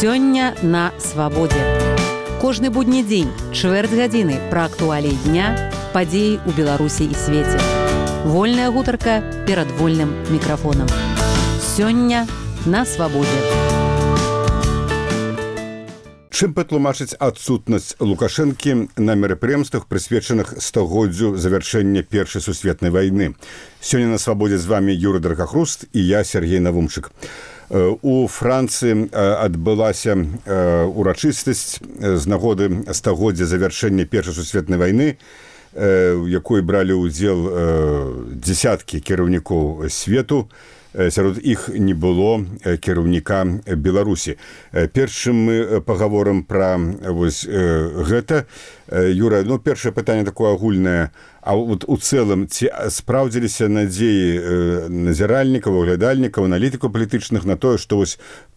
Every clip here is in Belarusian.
Сёння на свабодзе. Кожны будні дзень, чвэрць гадзіны пра актуаліі дня, падзеі ў Беларусі і свеце. Вольная гутарка перад вольным мікрафонам. Сёння на свабодзе. Чым патлумачыць адсутнасць Лукашэнкі на мерапрыемствах, прысвечаных стагоддзю завяршэння Першай сусветнай вайны? Сёння на свабодзе з вами Юрый Дракахруст і я, Сергей Навумчык. У Францыі адбылася урачыстасць з нагоды стагоддзя завяршэння Першай сусветнай вайны, у якой бралі ўдзел дзесяткі кіраўнікоў свету. Сярод іх не было кіраўніка Беларусі. Перш чым мы пагаворым пра гэта, Юра, першае пытанне такое агульнае. А вот у цэлым, ці спраўдзіліся надзеі назіральнікаў, аглядальнікаў, аналітыкаў палітычных на тое, што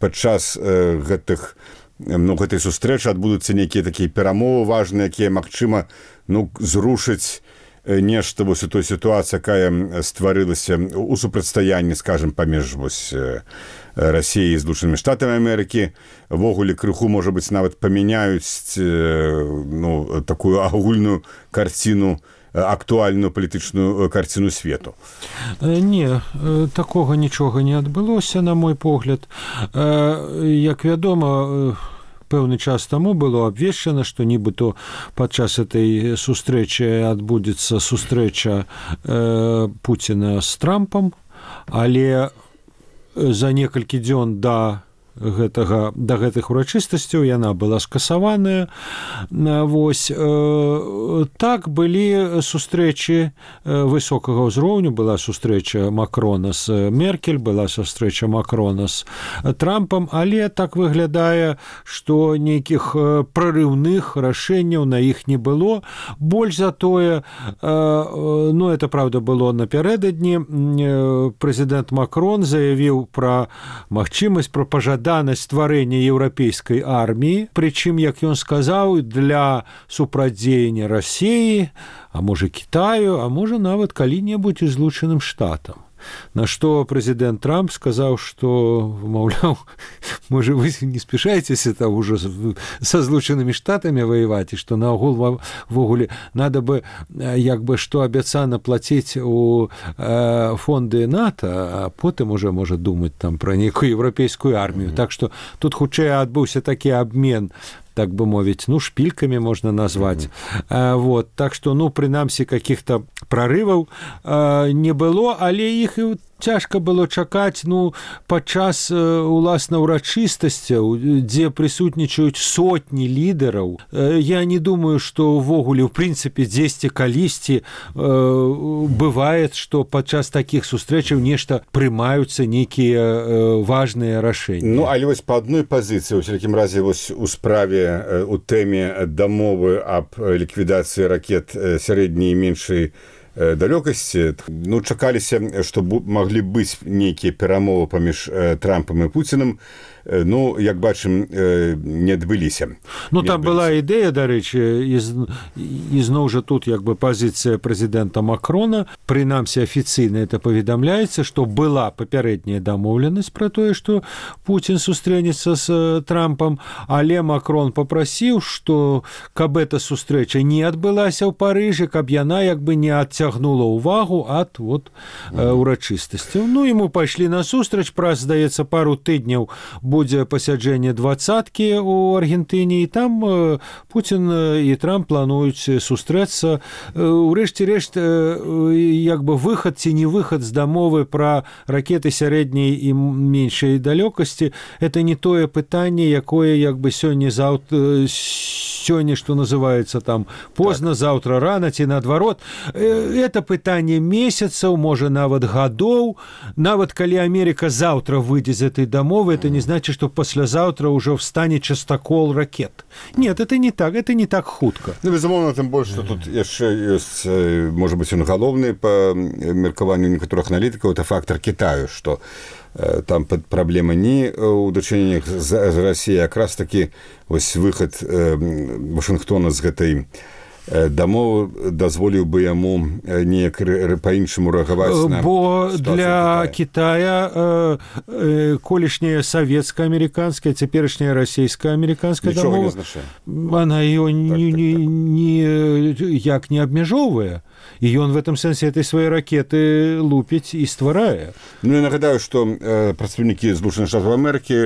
падчас гэтай сустрэчы адбудуцца нейкія такія перамовы важныя, якія, магчыма, зрушаць нешта у той сітуацыі, якая стварылася у супрацьстаянні, скажем, паміж Расіяй і Злучанымі Штатамі Амерыкі. Ввогуле крыху, можа быць, нават памяняюць такую агульную карціну, актуальную палітычную карціну свету. Не, такога нічога не адбылося, на мой погляд. Як вядома, пэўны час таму было абвешчана, што нібыто падчас этой сустрэчы адбудзецца сустрэча Пуціна з Трампам, але за некалькі дзён да гэтых урачыстасцяў яна была скасаваная. Так былі сустрэчы высокага ўзроўню, была сустрэча Макрона з Меркель, была сустрэча Макрона з Трампам, але так выглядае, што нейкіх прарыўных рашэнняў на іх не было. Больш за тое, это правда было напярэдадні, прэзідэнт Макрон заявіў пра магчымасць, пра пажаданне стварэння еўрапейскай арміі, прычым, як ён сказаў, для супрацьдзеяння Расіі, а можа Кітаю, а можа нават калі-небудзь і Злучаным Штатам. На што прэзідэнт Трамп сказаў, што, маўляў, можа, вы не спешаецеся там уже са Злучанымі Штатамі ваяваць, і што наогул ввогуле надо бы, як бы, што абяцана плаціць у фонды НАТО, а потым уже можа думаць там пра нейкую еўрапейскую армію. Так што тут хутчэй адбыўся такі абмен, так бы мовіць, шпількамі можна назваць. Так што, прынамсі, каких-то прорываў не было, але іх і цяжка было чакаць, падчас уласна урачыстасцяў, дзе прысутнічаюць сотні лідараў. Я не думаю, што ўвогуле, в прынцыпе, дзесьці калісьці бывае, што падчас такіх сустрэчаў нешта прымаюцца нейкія важныя рашэнні. Але па адной пазіцыі, у всякім разе, у справе, у тэме дамовы аб ліквідацыі ракет сярэдняй і меншай далёкасці, чакаліся, што маглі быць нейкія перамовы паміж Трампам і Пуцінам, як бачым, не адбыліся. Там была ідэя, дарэчы, і зноў жа тут як бы пазіцыя прэзідэнта Макрона, прынамсі афіцыйна это паведамляецца, што была папярэдняя дамоўленасць пра тое, што Пуцін сустрэнецца з Трампам, але Макрон папрасіў, што каб эта сустрэча не адбылася ў Парыжы, каб яна як бы не адцягнула ўвагу ад урачыстасцяў. Яму пайшлі насустрач, праз, здаецца, пару тыдняў будзе пасяджэнне двадцаткі ў Аргентыне, і там Пуцін і Трамп плануюць сустрэцца. Урэшце рэшт, як бы выхад ці не выхад з дамовы пра ракеты сярэдняй і меншай далёкасці, это не тое пытанне, якое як бы сёння, што называецца там позна, заўтра рана ці наадварот. Это пытанне месяцаў, можа нават гадоў. Нават калі Амерыка заўтра выйдзе з этой дамовы, это не значит, что послезавтра уже встанет частокол ракет. Нет, это не так хутка. Безумоўна, тым больш, што тут яшчэ ёсць, можа быць, галоўны па меркаванню некаторых аналітыкаў, это фактор Кітаю, што там праблема не ў дачыненнях з Расіяй, якраз такі выхад Вашынгтона з гэтай дамоў дазволіў бы яму неяк па-іншаму рэагаваць на бо для Китая колішняя савецка-амерыканская, цяперашняя расійска-амерыканская дамова, она ее ніяк не абмяжоўвае, і ён в этом сэнсе этой свае ракеты лупіць і стварае. Ну, я нагадаю, што прадстаўнікі Злучаных Штатаў Амерыкі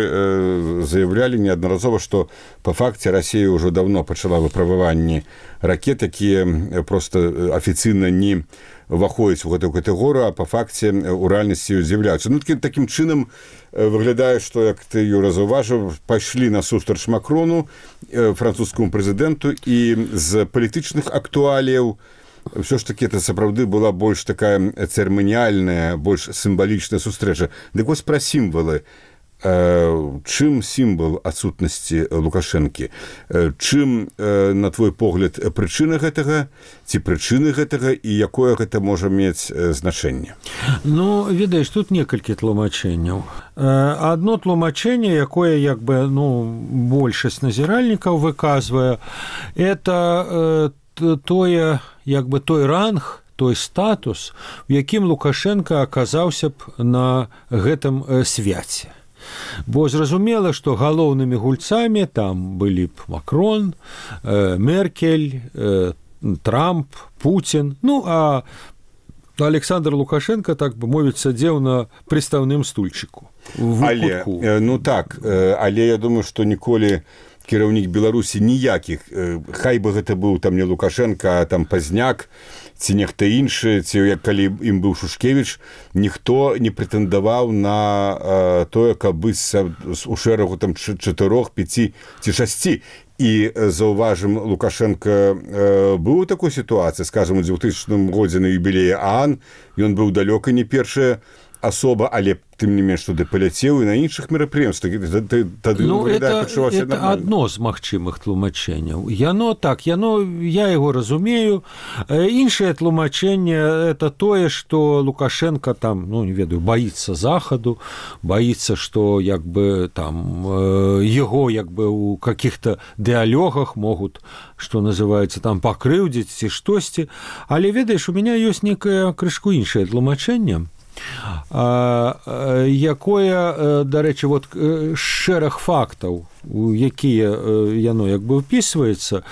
заявлялі неаднаразова, што па факце Расія ўжо давно пачала выпрабаванні ракет, якія проста афіцыйна не ўваходзяць у гэтую катэгорыю, а па факце ў рэальнасці з'яўляюцца. Ну, такім чынам выглядае, што, як ты, Юра, заўважыў, пайшлі насустрач Макрону, французскаму прэзідэнту, і з палітычных актуаліяў ўсё ж такі это сапраўды была больш такая цырыманіяльная, больш сімвалічная сустрэча. Дык вось пра сімвалы. Чым сімвал адсутнасці Лукашэнкі? Чым, на твой погляд, прычына гэтага, ці прычыны гэтага, і якое гэта можа мець значэнне? Ну, ведаеш, тут некалькі тлумачэнняў. Адно тлумачэнне, якое, як бы, большасць назіральнікаў выказвае, это тое, як бы, той ранг, той статус, у якім Лукашенко аказаўся б на гэтым свяце. Бо зразумела, што галоўнымі гульцамі там былі б Макрон, Меркель, Трамп, Путін. Ну, а Александр Лукашенко, так бы мовіць, сядзеў на прыстаўным стульчыку. Але, але я думаю, што ніколі кіраўнік Беларусі ніякіх, хай бы гэта быў там не Лукашенко, а там Пазняк, ці нехта іншы, ці як калі ім быў Шушкевіч, ніхто не прэтэндаваў на тое, каб быць у шэрагу там 4, 5 ці 6. І, заўважым, Лукашенко быў у такой сітуацыі, скажам, у 2000 годзе на юбілеі ААН, ён быў далёка не першая асоба, але тым не менш туды паляцеў і на іншых мерапрыемствах. Это адно з магчымых тлумачэнняў. Я яго разумею. Іншае тлумачэнне это тое, што Лукашенко там, не ведаю, баіцца захаду, баіцца, што як бы там яго як бы у каких-то дыалогах могуць, што называецца, там пакрыўдзіць ці штосьці. Але ведаеш, у мяне ёсць некае крышку іншае тлумачэнне, якое, дарэчы, вот шэраг фактаў, у якія яно як бы ўпісваецца,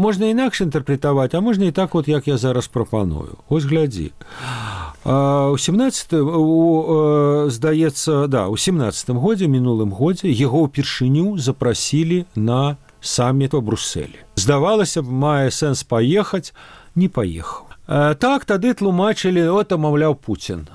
можна інакш інтэрпрэтаваць, а можна і так, вот, як я зараз прапаную. Ось глядзі. У 17 годзе, мінулым годзе, яго ўпершыню запрасілі на саміт у Брусселі. Здавалася б, мае сэнс паехаць, не паехаў. Так, тады тлумачылі, маўляў, Пуцін.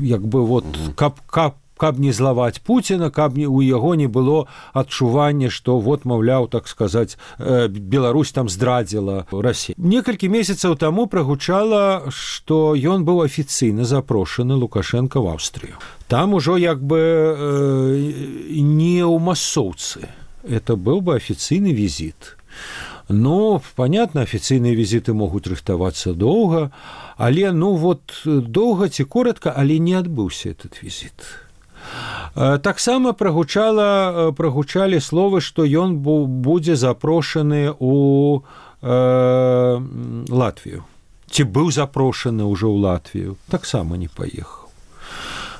Як бы, вот, каб не злаваць Пуціна, каб у яго не было адчування, што, вот, маўляў, так сказаць, Беларусь там здрадзіла Расію. Некалькі месяцаў таму прагучала, што ён быў афіцыйна запрошаны Лукашенко в Аўстрыю. Там ужо, як бы, не ў масоўцы. Это быў бы афіцыйны візіт. Ну, понятно, афіцыйныя візіты могуць рыхтавацца доўга, але, доўга ці коротка, але не адбыўся этот візіт. Таксама прагучалі словы, што ён будзе запрошаны ў Латвію. Ці быў запрошаны ўжо ў Латвію. Таксама не паехаў.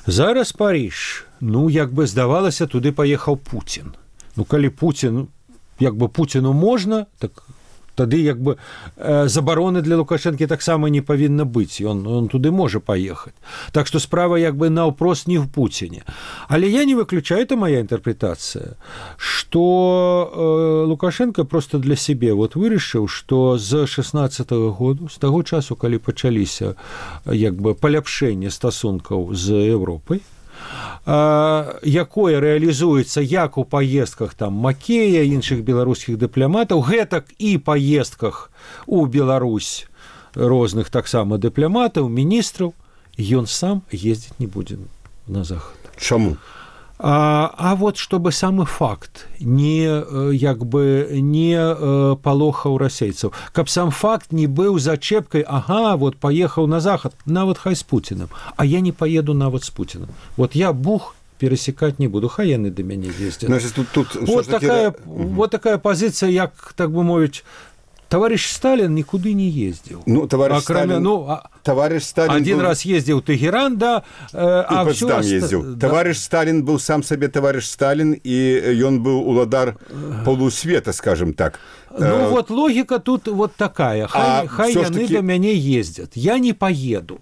Зараз Париж. Як бы здавалася, туды паехаў Пуцін. Калі Пуцін, як бы Пуціну можна, так тады як бы забароны для Лукашэнкі таксама не павінна быць. Ён туды можа паехаць. Так што справа як бы наўпрост не ў Пуціне. Але я не выключаю, это моя інтэрпрэтацыя, што Лукашенко просто для сябе вырашыў, што з 16-го году, з таго часу, калі пачаліся як бы паляпшэнне стасункаў з Еўропай, якое рэалізуецца як у паездках там Макея, іншых беларускіх дыпламатаў, гэтак і паездках у Беларусь розных таксама дыпламатаў, міністраў, ён сам ездзіць не будзе на захад. Чаму? А вот чтобы самы факт не палохаў расейцаў, каб сам факт не быў зачэпкай, вот паехаў на захад, нават хай з Пуціным, а я не поеду нават з Пуціным. Вот я бух пересекать не буду, хай яны да мяне ездзяць. Значит, тут вот такая позиция, як, так бы мовіць, товарищ Сталин никуда не ездил. Ну, товарищ Сталин один был... раз ездил в Тегеран, да, а все ездил. Да. Товарищ Сталин был сам себе товарищ Сталин, и он был уладар полусвета, скажем так. Ну, вот логика тут вот такая. Хай яны до мяне ездят. Я не поеду.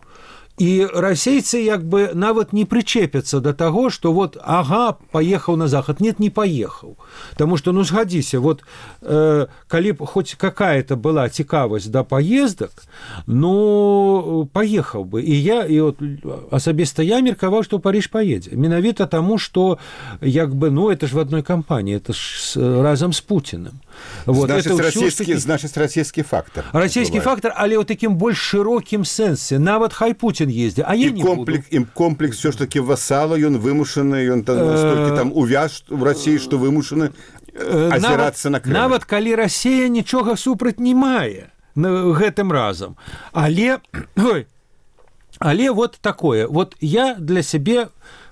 І расейцы як бы нават не прычепяцца да таго, што вот ага, паехаў на захад. Нет, не паехаў. Таму што, ну, згадзіся, вот калі б хоць какая-то была цікавасць да паездак, ну, паехаў бы. І вот асабіста я меркаваў, што Париж паедзе. Менавіта таму, што як бы, ну, это ж в адной кампаніі, это ж разам з Путіным. Вот, значыць, расійскі фактор. Расійскі фактор, але ў такім больш шырокім сэнсе. Нават хай Путін ездзі, а я не буду. Комплекс все ж таки васала, ён вымушаны, ён столькі там увяз в России, што вымушаны азірацца на Крым. Нават калі Расія нічога супраць не мае гэтым разам. Але вот такое. Вот я для сябе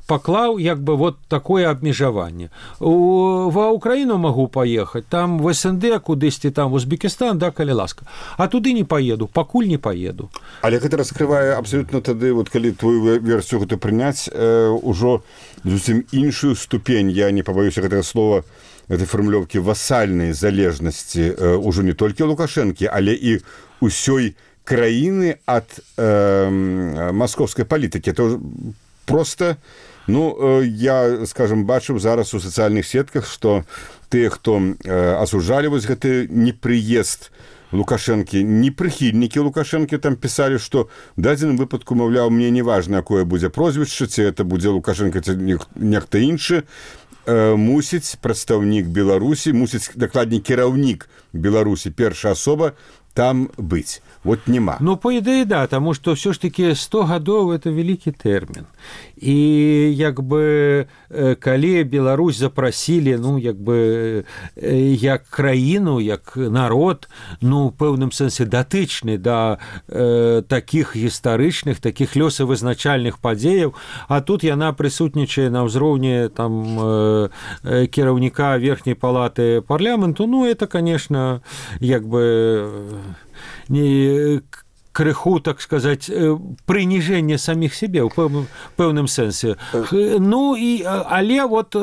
паклаў як бы вот такое абмежаванне. Ва Украіну магу паехаць, там в СНД кудысьці, там в Узбекістан, да, калі ласка. А туды не паеду, пакуль не паеду. Але гэта раскрывае абсолютно тады, вот калі твою версію гэта прыняць, ужо зусім іншую ступень, я не пабаюся гэтага слова, этой фармулёўкі васальнай залежнасці ўжо не толькі Лукашэнкі, але і ўсёй краіны ад маскоўскай палітыкі. Это просто... Ну, я, скажем, бачыў зараз у сацыяльных сетках, што тыя, хто асуджалі вось гэты непрыезд Лукашэнкі, не прыхільнікі Лукашэнкі там пісалі, што в дадзеным выпадку, маўляў, мне не важна, якое будзе прозвішча, ці это будзе Лукашэнка, ці нехта іншы, мусіць прадстаўнік Беларусі, мусіць дакладней кіраўнік Беларусі, першая асоба, там быць. Вот нема. Ну, по идее, да, потому что все ж таки 100 годов это великий термин. И як бы калі Беларусь запросили, ну, як бы як краіну, як народ, ну, в пэўным сэнсе датычны да таких гістарычных, таких лёсавызначальных падзеяў, а тут яна прысутнічае на ўзроўні там кіраўніка верхняй палаты парламенту, ну, это, конечно, як бы не крыху, так сказать, прыніжэнне саміх себе ў пэўным сэнсе. Ну, але вот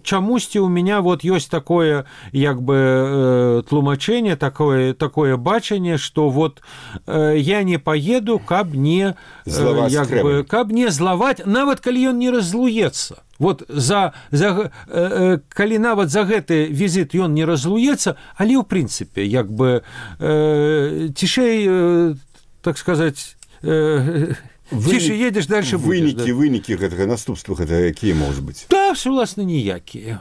чамусьці у меня вот ёсць такое, як бы, тлумачэнне, такое бачанне, што вот я не поеду, каб не злаваць, нават калі ён не разлуецца. Вот калі нават за гэты візіт ён не разлуецца, але ў прынцыпе, як бы цішэй, так сказать, тише едешь, дальше будешь. Вынікі гэтага наступства, гэта якія могуць быць? Да, уласна, ніякія.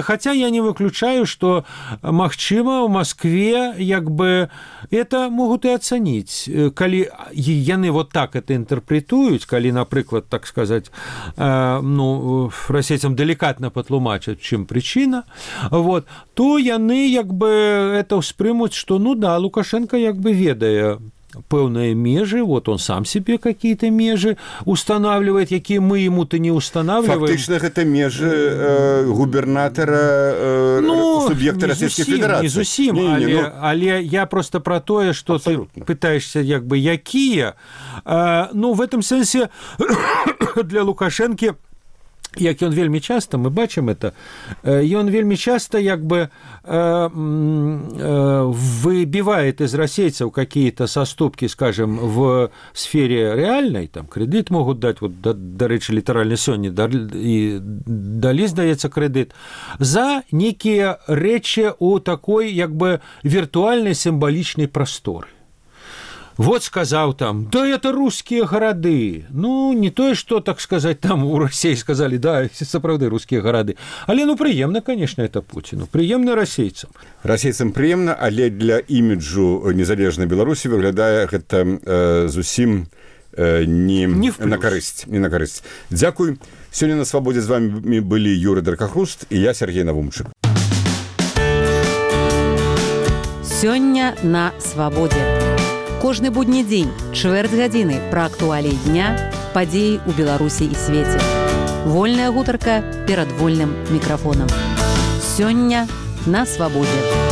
Хотя я не выключаю, что, магчыма, в Москве, як бы, это могут и оценить. Калі яны вот так это интерпретуюць, калі, напрыклад, так сказать, ну, расейцам деликатно патлумачаць, чым причина, вот, то яны, як бы, это ўспрымуць, что, ну да, Лукашенко, як бы, ведае пэўныя межы, вот он сам себе какие-то межи устанавливает, якія мы ему-то не устанавливаем. Фактычна гэта межы губернатара, суб'екта Расійскай Федэрацыі. Не зусім, але я просто про тое, что ты пытаешься, як бы, якія. Ну, в этом сэнсе для Лукашэнкі, як ён вельмі часта, мы бачым это, ён вельмі часта, як бы, выбивает из расейцев какие-то соступки, скажем, в сфере реальной, там кредит могут дать, вот, до речи, литерально сёння и дали, здаецца, кредит, за некие речи у такой, як бы, виртуальной символичной просторы. Вот сказал там, да это русские города. Ну, не то, что, так сказать, там у России сказали, да, сапраўды русские города. Але, ну, приемно, конечно, это Путину. Приемно расейцам. Расейцам приемно, але для іміджу незалежнай Беларусі выглядае гэта зусім не на карысць. Не на карысць. Дзякуй. Сёння на Свабодзе з вами былі Юрый Даркахруст і я, Сергей Навумчык. Сёння на Свабодзе. Кожны будні дзень, чвэрць гадзіны пра актуаліі дня, падзеі ў Беларусі і свеце. Вольная гутарка перад вольным мікрафонам. Сёння на Свабодзе.